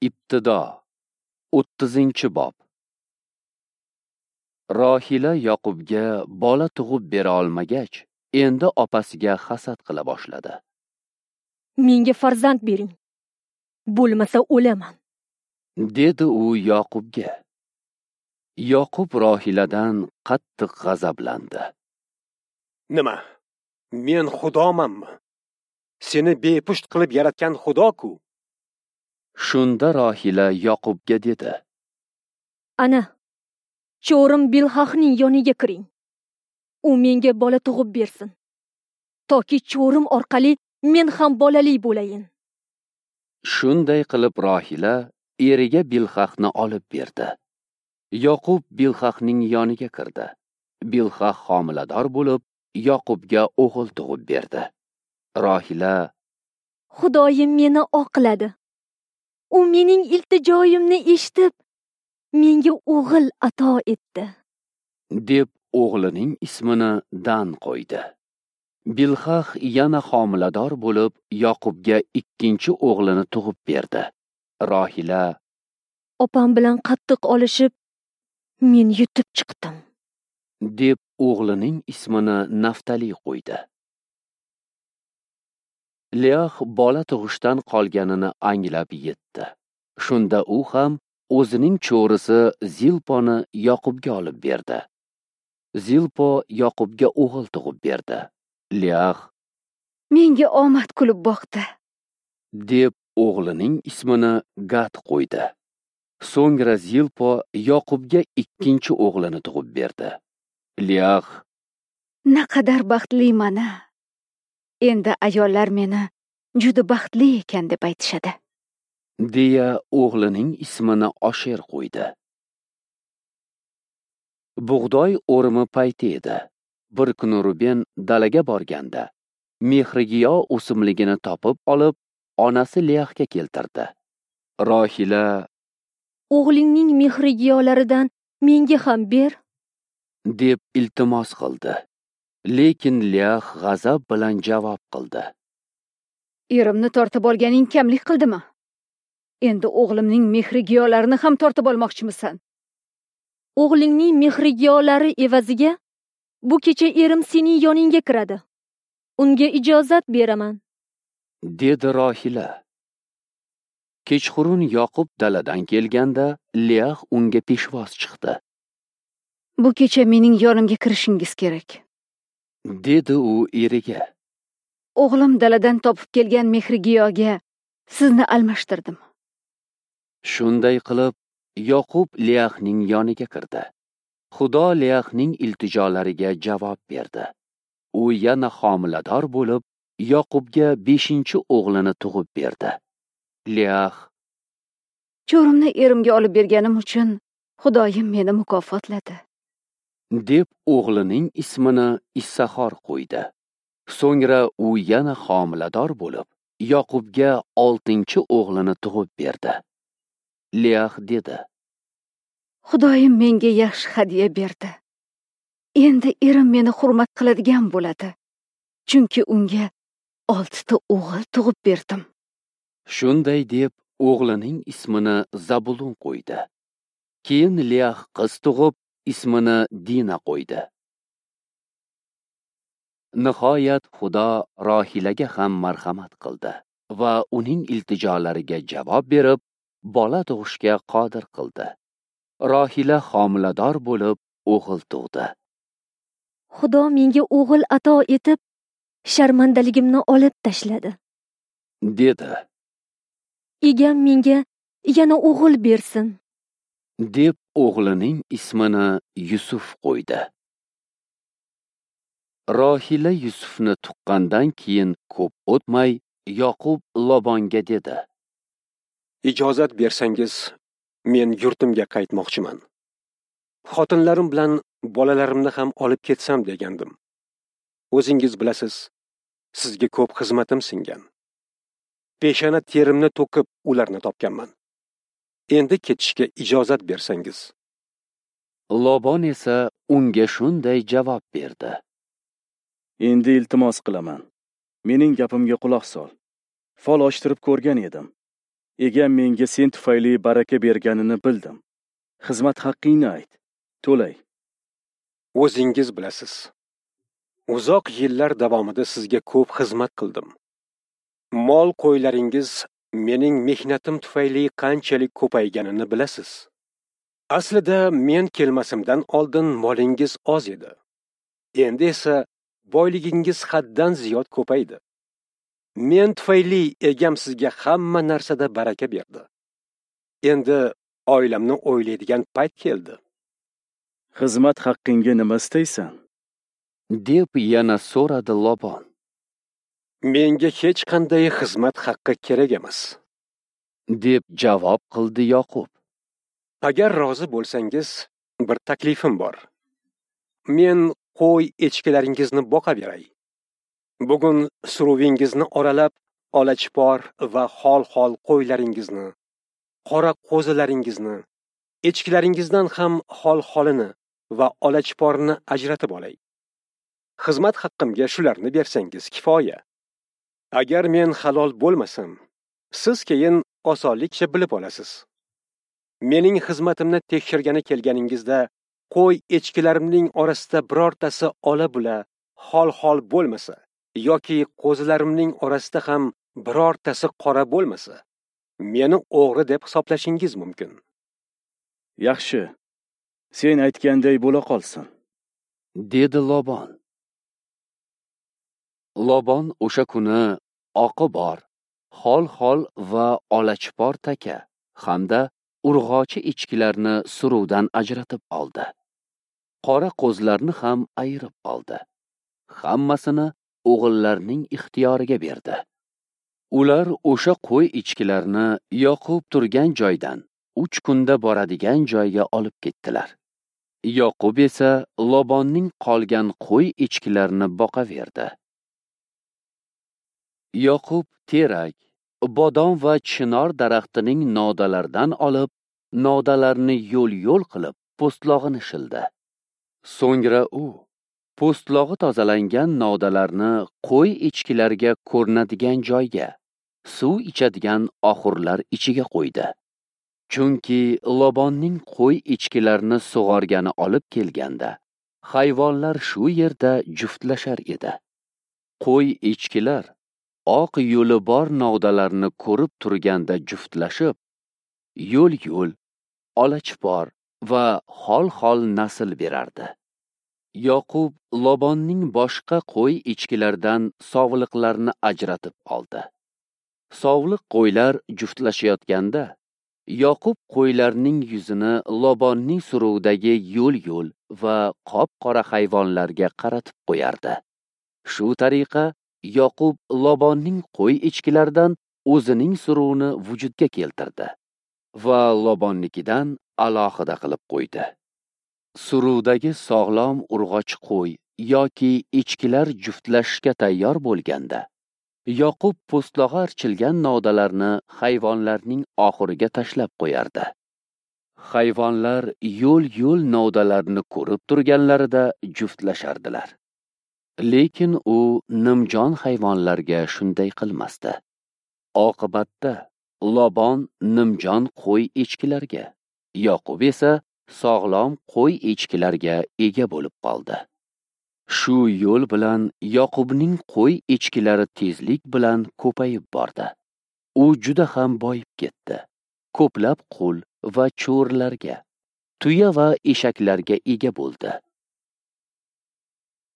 Ibtido 30-bob. Rohila Yoqubga bola tug'ib bera olmagach, endi opasiga hasad qila boshladi. Menga farzand bering, bo'lmasa o'laman, dedi u Yoqubga. Yoqub Rohiladan qattiq g'azablandi. Nima? Men Xudomanmi? Seni bepusht qilib yaratgan Xudo-ku. Shunda Rohila Yoqubga dedi: Ana, cho'rim Bilhahning yoniga kiring. U menga bola tug'ib bersin, toki cho'rim orqali men ham bolali bo'layin. Shunday qilib Rohila eriga Bilhahni olib berdi. Yoqub Bilhahning yoniga kirdi. Bilhah homilador bo'lib, Yoqubga o'g'il tug'ib berdi. Rohila: Xudoyim meni oqladi. U mening iltijoyimni eshitib, menga o'g'il ato etdi, deb o'g'lining ismini Dan qo'ydi. Bilhah yana homilador bo'lib, Yoqubga ikkinchi o'g'lini tug'ib berdi. Rohila: Opam bilan qattiq olishib, men yutib chiqdim, deb o'g'lining ismini Naftali qo'ydi. Leah bola tug'ishdan qolganini anglab yetdi. Shunda u ham o'zining cho'risi Zilponi Yoqubga olib berdi. Zilpo Yoqubga o'g'il tug'ib berdi. Leah: Menga omad kulib boqdi, deb o'g'lining ismini Gad qo'ydi. So'ngra Zilpo Yoqubga ikkinchi o'g'lini tug'ib berdi. Leah: Naqadar baxtliman-a! Endi ayollar meni juda baxtli ekan deb aytishadi, deya o'g'lining ismini Osher qo'ydi. Bug'doy o'rimi payti edi. Bir kuni Ruben dalaga borganda mehrigiyo o'simligini topib olib, onasi Leahga keltirdi. Rohila: O'g'lingning mehrigiyolaridan menga ham ber, deb iltimos qildi. Lekin Leah g'azab bilan javob qildi: Erimni tortib olganing kamlik qildimi? Endi o'g'limning mehrigiyolarini ham tortib olmoqchimisan? O'g'lingning mehrigiyolari evaziga bu kecha erim sening yoningga kiradi. Unga ijozat beraman, dedi Rohila. Kechqurun Yoqub daladan kelganda Leah unga peshvoz chiqdi. Bu kecha mening yonimga kirishingiz kerak, dedi u eriga. O'g'lim daladan topib kelgan mehrigiyoga sizni almashtirdim. Shunday qilib Yoqub Leahning yoniga kirdi. Xudo Leahning iltijolariga javob berdi. U yana homilador bo'lib, Yoqubga 5-o'g'lini tug'ib berdi. Leah: Cho'rimni erimga olib berganim uchun Xudoyim meni mukofotladi, deb o'g'lining ismini Issahor qo'ydi. So'ngra u yana homilador bo'lib, Yoqubga 6-o'g'lini tug'ib berdi. Leah dedi: Xudoyim menga yaxshi hadya berdi. Endi erim meni hurmat qiladigan bo'ladi, chunki unga 6 ta o'g'il tug'ib berdim. Shunday deb o'g'lining ismini Zabulon qo'ydi. Keyin Leah qiz tug'ib, ismini Dina qo'ydi. Nihoyat Xudo Rohilaga ham marhamat qildi va uning iltijolariga javob berib, bola tug'ishga qodir qildi. Rohila homilador bo'lib, o'g'il tug'di. Xudo menga o'g'il ato etib, sharmandaligimni olib tashladi, dedi. Egam menga yana o'g'il bersin, deb o'g'lining ismini Yusuf qo'ydi. Rohila Yusufni tuqqandan keyin ko'p o'tmay, Yoqub Lobonga dedi: Ijozat bersangiz, men yurtimga qaytmoqchiman. Xotinlarim bilan bolalarimni ham olib ketsam degandim. O'zingiz bilasiz, sizga ko'p xizmatim singan. Peshana terimni to'kib ularni topganman. Endi ketishga ijozat bersangiz. Lobon esa unga shunday javob berdi: Endi iltimos qilaman. Mening gapimga quloq sol. Fol ochtirib ko'rgan edim. Egam menga sen tufayli baraka berganini bildim. Xizmat haqqingni ayt, to'lay. O'zingiz bilasiz. Uzoq yillar davomida sizga ko'p xizmat qildim. Mol qo'ylaringiz mening mehnatim tufayli qanchalik ko'payganini bilasiz. Aslida men kelmasimdan oldin molingiz oz edi. Endi esa boyligingiz haddan ziyod ko'paydi. Men tufayli egam sizga hamma narsada baraka berdi. Endi oilamni o'ylaydigan payt keldi. Xizmat haqqingga nima istaysan? Deb yana so'radi Lobon. Menga hech qanday xizmat haqqi kerak emas, deb javob qildi Yoqub. Agar rozi bo'lsangiz, bir taklifim bor. Men qo'y echkilaringizni boqaveray. Bugun suruvingizni oralab, olachipor va xol-xol qo'ylaringizni, qora qo'zilaringizni, echkilaringizdan ham xol-xolini va olachiporini ajratib olay. Xizmat haqqimga shularni bersangiz kifoya. Agar men halol bo'lmasam, siz keyin osonlikcha bilib olasiz. Mening xizmatimni tekshirgani kelganingizda qo'y echkilarimning orasida birortasi ola-bula, xol-xol bo'lmasa yoki qo'zilarimning orasida ham birortasi qora bo'lmasa, meni o'g'ri deb hisoblashingiz mumkin. Yaxshi. Sen aytganday bo'la qolsin, dedi Lobon. Lobon o'sha kuni oqi bor, xol-xol va olachipor taka hamda urg'ochi echkilarni suruvdan ajratib oldi. Qora qo'zlarni ham ayirib oldi. Hammasini o'g'illarning ixtiyoriga berdi. Ular o'sha qo'y echkilarni Yoqub turgan joydan 3 kunda boradigan joyga olib ketdilar. Yoqub esa Lobonning qolgan qo'y echkilarini boqaverdi. Yoqub terak, bodom va chinor daraxtining novdalaridan olib, novdalarni yo'l-yo'l qilib po'stlog'ini shildi. So'ngra u po'stlog'i tozalangan novdalarni qo'y echkilarga ko'rinadigan joyga, suv ichadigan oxurlar ichiga qo'ydi. Chunki Lobonning qo'y echkilarini sug'organi olib kelganda, hayvonlar shu yerda juftlashar edi. Qo'y echkilar oq yo'li bor novdalarni ko'rib turganda juftlashib, yo'l-yo'l, olachipor va xol-xol nasl berardi. Yoqub Lobonning boshqa qo'y echkilaridan sovliqlarni ajratib oldi. Sovliq qo'ylar juftlashayotganda, Yoqub qo'ylarning yuzini Lobonning suruvidagi yo'l-yo'l va qop-qora hayvonlarga qaratib qo'yardi. Shu tariqa Yoqub Lobonning qo'y echkilaridan o'zining suruvini vujudga keltirdi va Lobonnikidan alohida qilib qo'ydi. Suruvdagi sog'lom urg'och qo'y yoki echkilar juftlashishga tayyor bo'lganda, Yoqub po'stlog'i archilgan novdalarni hayvonlarning oxiriga tashlab qo'yardi. Hayvonlar yo'l-yo'l novdalarni ko'rib turganlarida juftlashardilar. Lekin u nimjon hayvonlarga shunday qilmasdi. Oqibatda Lobon nimjon qo'y echkilarga, Yoqub esa sog'lom qo'y echkilarga ega bo'lib qoldi. Shu yo'l bilan Yoqubning qo'y echkilari tezlik bilan ko'payib bordi. U juda ham boyib ketdi. Ko'plab qul va cho'rilarga, tuya va eshaklarga ega bo'ldi.